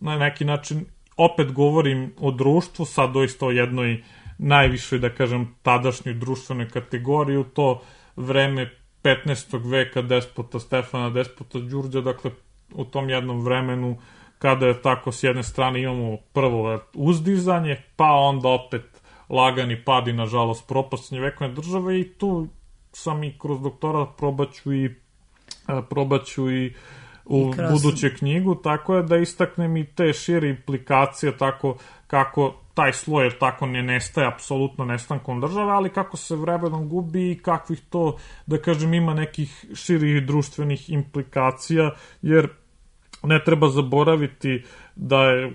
na neki način opet govorim o društvu, sad doista o jednoj najvišoj, da kažem, tadašnjoj društvenoj kategoriji, u to vreme petnaestog veka despota Stefana, despota Đurđa, dakle u tom jednom vremenu kada je tako s jedne strane imamo prvo uzdizanje, pa onda opet lagani pad i nažalost propast srednjovekovne države, i tu sam i kroz doktorat probaću i probaću i u I kroz... buduću knjigu, tako je da istaknem i te šire implikacije, tako kako taj sloj tako ne nestaje apsolutno nestankom države, ali kako se vremenom gubi i kakvih to, da kažem, ima nekih širih društvenih implikacija, jer ne treba zaboraviti da je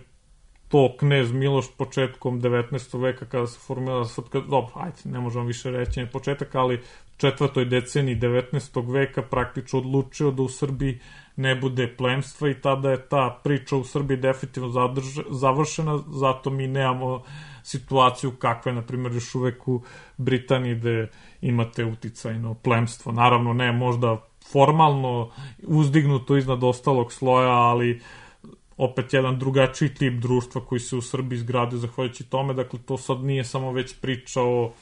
to knez Miloš početkom devetnaestog veka kada se formirala srpska, dobro, ajde, ne možemo više reći ne početak, ali četvrtoj deceniji devetnaestog veka praktično odlučio da u Srbiji ne bude plemstva i tada je ta priča u Srbiji definitivno zadrž, završena, zato mi nemamo situaciju kakva je, na primjer, još uvek u Britaniji gde imate uticajno plemstvo. Naravno, ne možda formalno uzdignuto iznad ostalog sloja, ali opet jedan drugačiji tip društva koji se u Srbiji izgradio zahvaljujući tome. Dakle, to sad nije samo već priča o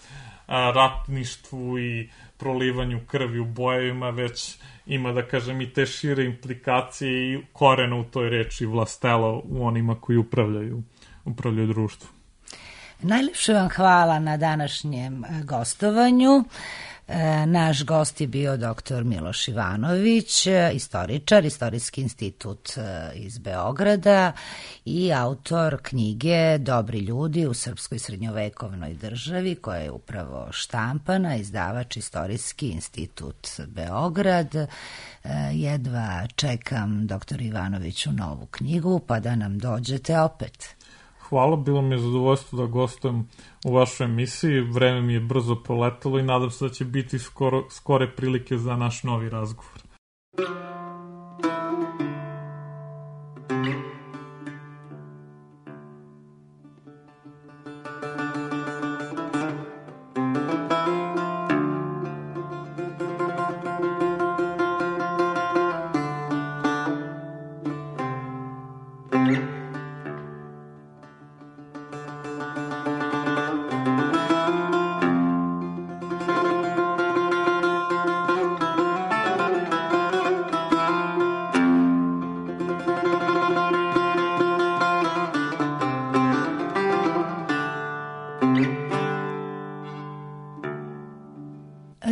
a, ratništvu i prolivanju krvi u bojevima, već ima, da kažem, i te šire implikacije i korena u toj reči vlastela u onima koji upravljaju, upravljaju društvo. Najlepše vam hvala na današnjem gostovanju. Naš gost je bio doktor Miloš Ivanović, istoričar, Istorijski institut iz Beograda i autor knjige Dobri ljudi u srpskoj srednjovekovnoj državi, koja je upravo štampana, izdavač Istorijski institut Beograd. Jedva čekam, doktor Ivanoviću, novu knjigu, pa da nam dođete opet. Hvala, bilo mi je zadovoljstvo da gostujem u vašoj emisiji, vreme mi je brzo proletelo i nadam se da će biti skoro, skore prilike za naš novi razgovor.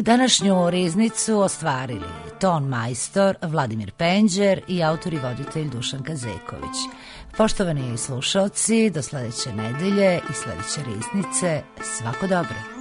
Današnju riznicu ostvarili ton majstor Vladimir Penđer i autor i voditelj Dušan Kazeković. Poštovani slušaoci, do sledeće nedelje i sledeće riznice, svako dobro.